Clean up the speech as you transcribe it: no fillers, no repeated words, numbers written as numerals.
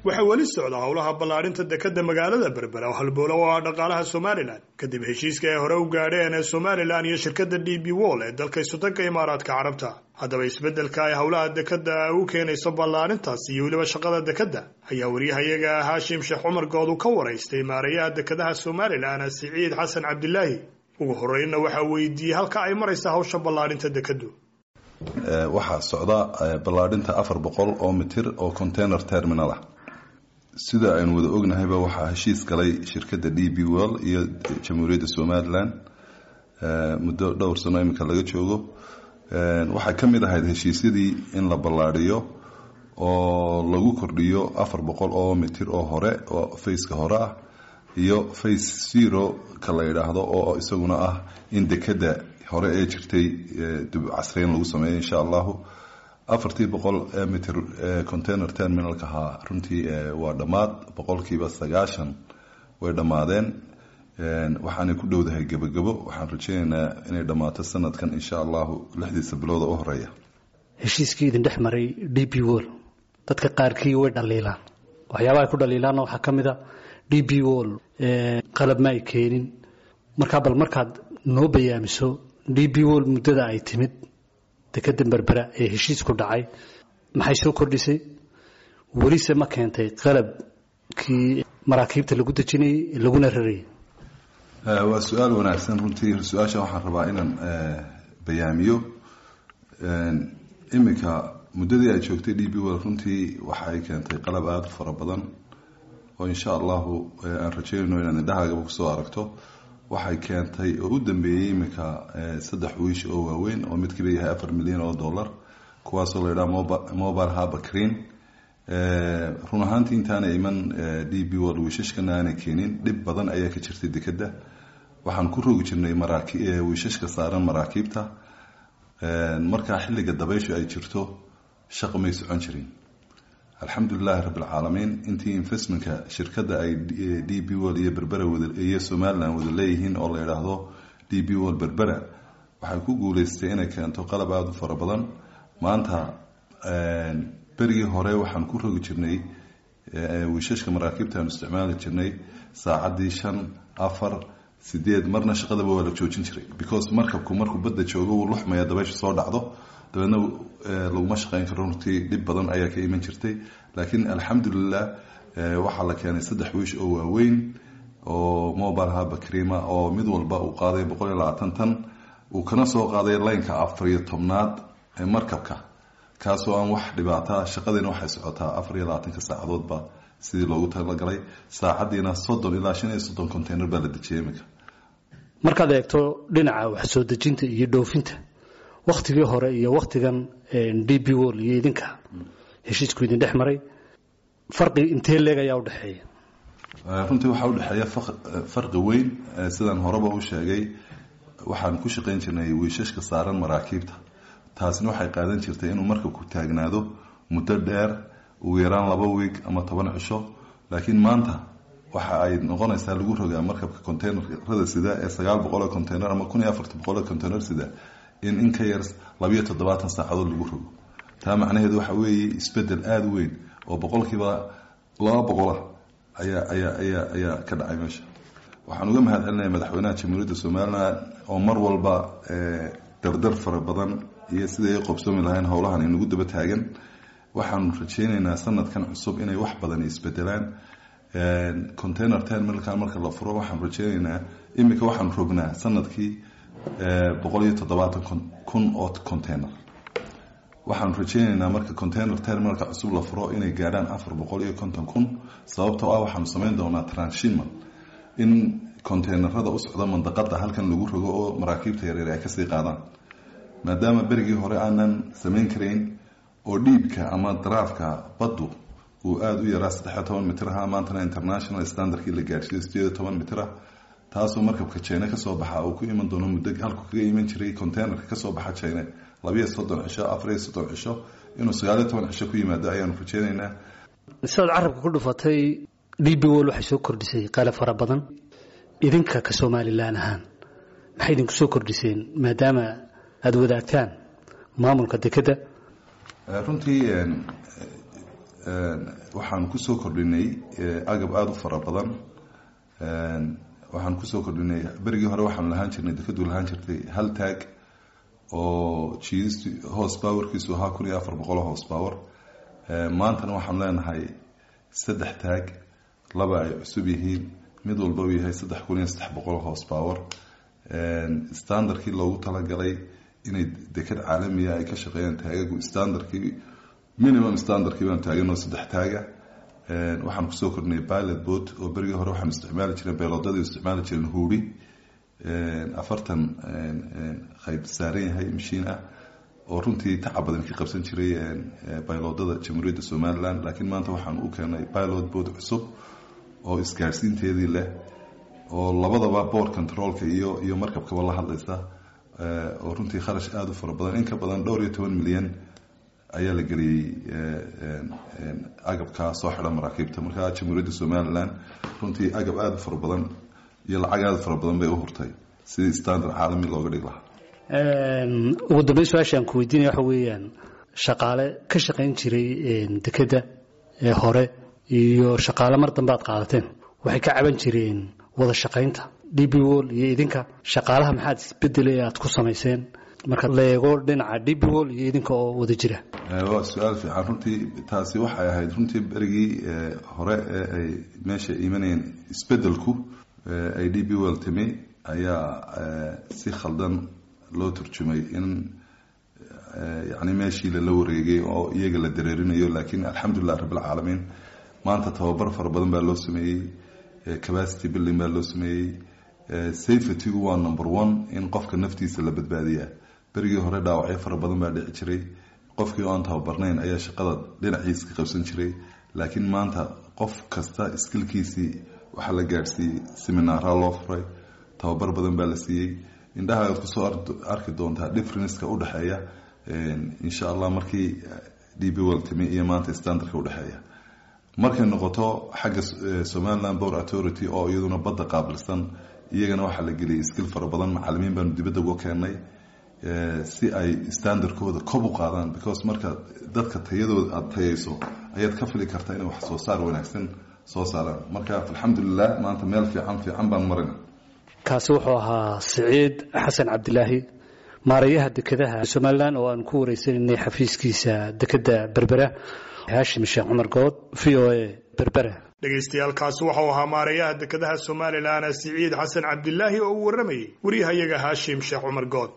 Waxaa weli socda howlaha ballaadhinta dekadda magaalada Berbera oo halbowla oo ah dhaqaalaha Somalilan, kadib heshiiska ay hore u gaadheen ee Somalilan iyo shirkadda DP World ee dalka Isudanka Imaaraadka Carabta. Haddaba, isbeddelka ay howlaha dekadda u keenayso ballaarintaas iyo weliba shaqada dekadda ayaa wariyahayaga Haashim Sheekh Cumar Good uu ka waraystay maareeyaha dekadaha Somalilan, Siciid Xasan Cabdilaahi. Ugu horreynna waxaa weydiiyey halka ay maraysa hawsha ballaadhinta dekaddu. Waxaa socda ballaadhinta 400 oo mitir oo container terminal ah. Sida aynu wada ognahayba, waxaa heshiis galay shirkadda DP World iyo Jamhuuriyadda Somalilan muddo dhowr sano iminka laga joogo. Waxaa ka mid ahayd heshiisyadii in la ballaadhiyo oo lagu kordhiyo 400 oo mitir oo hore oo phase-ka hore ah iyo phase zero ka la yidhaahdo, oo isaguna ah in dekadda hore ee jirtay dib casreyn lagu sameeyo, insha Allahu. 400-tii ee mitir container terminalka ahaa runtii waa dhammaad, 90% way dhammaadeen, waxaanay ku dhowdahay gebagebo. Waxaan rajeynaynaa inay dhammaato sanadkan, insha Allahu, 6-diisa bilooda u horeeya. Heshiiskii idin dhex maray DP World dadka qaarkii way dhaliilaan. Waxyaabaha ay ku dhaliilaanna waxaa ka mid a DP World qalab ma ay keenin. Markaa bal markaad noo bayaamiso DP World muddada ay timid dekadda Berbera ee heshiisku dhacay, maxay soo kordhisay? Welise ma keentay qalabkii maraakiibta lagu dejinayay laguna rarayay? Waa su-aal wanaagsan runtii. Su-aasha waxaan rabaa inaan bayaamiyo. Iminka muddadii ay joogtay DP World runtii waxa ay keentay qalab aada u fara badan oo, insha Allahu, aan rajeynayno inaad indhahaagaba kusoo aragto. Waxay keentay oo u dambeeyey iminka saddex wiish oo waaweyn oo midkiiba yahay $4 milyan, kuwaasoo la yidhaha mobile harbour crane. Run ahaantii, intaana iman DP World, wiishashkana aanay keenin, dhib badan ayaa ka jirtay dekadda. Waxaan ku rogi jirnay wiishashka saaran maraakiibta. Markaa xilliga dabayshu ay jirto shaqa may socon jirin. Alxamdulilaahi Rabbilcaalamiin, intii investmentka shirkadda ay DP World iyo Berbera iyo Somaliland wada leeyihiin oo la yidhaahdo DP World Berbera, waxay ku guuleystay inay keento qalab aada u fara badan. Maanta, berigii hore waxaan ku rogi jirnay wiishashka maraakiibta aanu isticmaali jirnay saacaddii shan, afar, sideed, marna shaqadaba waa la joojin jiray, because markabku markuu badda joogo wuu luxmaya, dabaysha soo dhacdo, dabeedna laguma shaqeyn karo. Runtii dhib badan ayaa ka iman jirtay, laakiin alxamdulilah, waxaa la keenay saddex wiish oo waaweyn oo mobile harbour crane oo mid walba uu qaaday 120 tan, uu kana soo qaaday line-ka 14aad ee markabka, kaasoo aan wax dhibaata. Shaqadiina waxay socotaa 24-ka saacadoodba sidii loogu talagalay. Saacaddiina 30 ilaa 35 container baa la dejiyay iminka. Markaad eegto dhinaca wax soo dejinta iyo dhoofinta, wakhtigii hore iyo wakhtigan DP World iyo idinka heshiisku idin dhex maray, farqi intee leeg ayaa u dhexeeya? Runtii waxaa udhexeeya farqi weyn. Sidaan horeba u sheegay, waxaan ku shaqayn jirnay wiishashka saaran maraakiibta. Taasina waxay qaadan jirtay inuu markabku taagnaado muddo dheer, ugu yaraan 2 wiig ama 10 cisho. Laakiin maanta waxa ay noqonaysaa lagu rogaa markabka containerada sida ee 900 oo container ama 1400 oo container sida in ka yar 72 saacadood lagu rogo. Taa macnaheedu waxa weeye isbedel aada u weyn oo 200% ah ayaa ka dhacay meesha. Waxaan uga mahad celinaya madaxweynaha Jamhuuriyadda Somaliland oo mar walba dardar fara badan iyo siday ay qobsoomi lahayn howlahan inagu daba taagan. Waxaanu rajeyneynaa sanadkan cusub inay wax badan isbedelaan. Container terminalkan marka la furo, waxaan rajeyneynaa, iminka waxaanu rognaa sanadkii 170,000 oo container. Waxaanu rajeyneynaa marka container terminalka cusub la furo inay gaadhaan 450,000, sababtoo ah waxaanu samayn doonaa transshipment, in containerada u socda mandaqada halkan lagu rogo oo maraakiibta yaryar ay kasii qaadaan, maadaama berigii hore aanan samayn karayn oo deep-ka ama draft-ka baddu uu aada u yaraa, 13 mitir ahaa. Maantana international standardkii la gaadhsiiyo 18 mitir ah, taasoo markabka China kasoo baxa uu ku iman doono muddo halku kaga iman jiray containerka kasoo baxa China 32 cisho, 34 cisho, inuu 19 cisho ku yimaado ayaanu rajeyneynaa. Sidaad carabka ku dhufatay, DP World waxay soo kordhisay qalab fara badan. Idinka ka Somalilan ahaan maxay idinku soo kordhiseen, maadaama aada wadaagtaan maamulka dekedda? Runtii Waxaan kusoo kordhinay agab aada u fara badan. Waxaan kusoo kordhinay, berigii hore waxaanu lahaan jirnay, dekadu lahaan jirtay hal taag oo jiidist horse powerkiisu ahaa 1400 horse power. Maantana waxaanu leenahay saddex taag, laba ay cusub yihiin, mid walba uu yahay 3300 horse power. Standardkii loogu talagalay inay dekad caalamiya ay ka shaqeeyaan taagagu, standardkii, minimum standardkii baanu taaganoo saddex taaga. Waxaan kusoo kordhinay pilot boat, oo berigii hore waxaanu isticmaali jireen, beeloodadii isticmaali jireen huuri 40 qayb saaran yahay mashiin ah, oo runtii tacab badan ka qabsan jiray bayloodada Jamhuuriyadda Somaliland. Laakiin maanta waxaan u keenay pilot boat cusub oo isgaarsiinteedii leh, oo labadaba board controlka iyo markabkaba la hadlaysa, oo runtii kharash aada u fara badan, in ka badan dhowr iyo toban milyan ayaa la geliyey agabkaa soo xidha maraakiibta. Marka Jamhuuriyadda Somaliland runtii agab aada u fara badan iyo lacag aada u fara badan bay u hurtay sidii standard caalami looga dhigi lahaa. Ugu dambeyn, su-aasha aan ku weydiinaya waxa weeyaan, shaqaale ka shaqayn jiray dekedda ee hore iyo shaqaale mar dambe aad qaadateen waxay ka caban jireen wada shaqaynta DP World iyo idinka. Shaqaalaha maxaad isbedelay aad ku samayseen marka la eego dhinaca DP World iyo idinka oo wada jira? Waa su-aal fiican runtii. Taasi waxay ahayd runtii berigii hore ee ay meesha imanayeen isbedelku, ay DP World timi, ayaa si khaldan loo turjumay in yacni meeshii lala wareegay oo iyaga la dareerinayo. Laakiin alxamdulilah rabbilcaalamiin, maanta tababar fara badan baa loo sameeyey, capacity building baa loo sameeyey. Safetygu waa number one, in qofka naftiisa la badbaadiyaa. Berigii hore dhaawacyo fara badan baa dhici jiray, qofkii oo aan tababarnayn ayaa shaqada dhinaciisa ka qabsan jiray. Laakiin maanta qof kasta skillkiisii waxaa la gaadhsiiyey, seminaaraa loo furay, tababar badan baa la siiyey. Indhaha aad kusoo arki doontaa differenceka udhexeeya, insha Allah, markii DP World timi iyo maanta standardka udhexeeya. Markay noqoto xagga Somaliland Port Authority oo iyaduna badda qaabilsan, iyagana waxaa la geliyay skill fara badan. Macalimiin baanu dibadda uga keennay si ay standardkooda kob u qaadaan, because marka dadka tayadooda aada tayayso ayaad ka fili kartaa inay wax soo saar wanaagsan soo saaraan. Marka alxamdulilah, maanta meel fiican fiican baan marina. Kaasi wuxuu ahaa Siciid Xasan Cabdilaahi, maareeyaha dekedaha Somaliland, oo aan ku wareysanaynay xafiiskiisa dekedda Berbera. Haashim Sheekh Cumar Good, VOA, Berbera. Dhegaystayaal, kaasi waxau ahaa maareeyaha dekedaha Somaliland Siciid Xasan Cabdilaahi oo uu warramayey wariyahayaga Haashim Sheekh Cumar Good.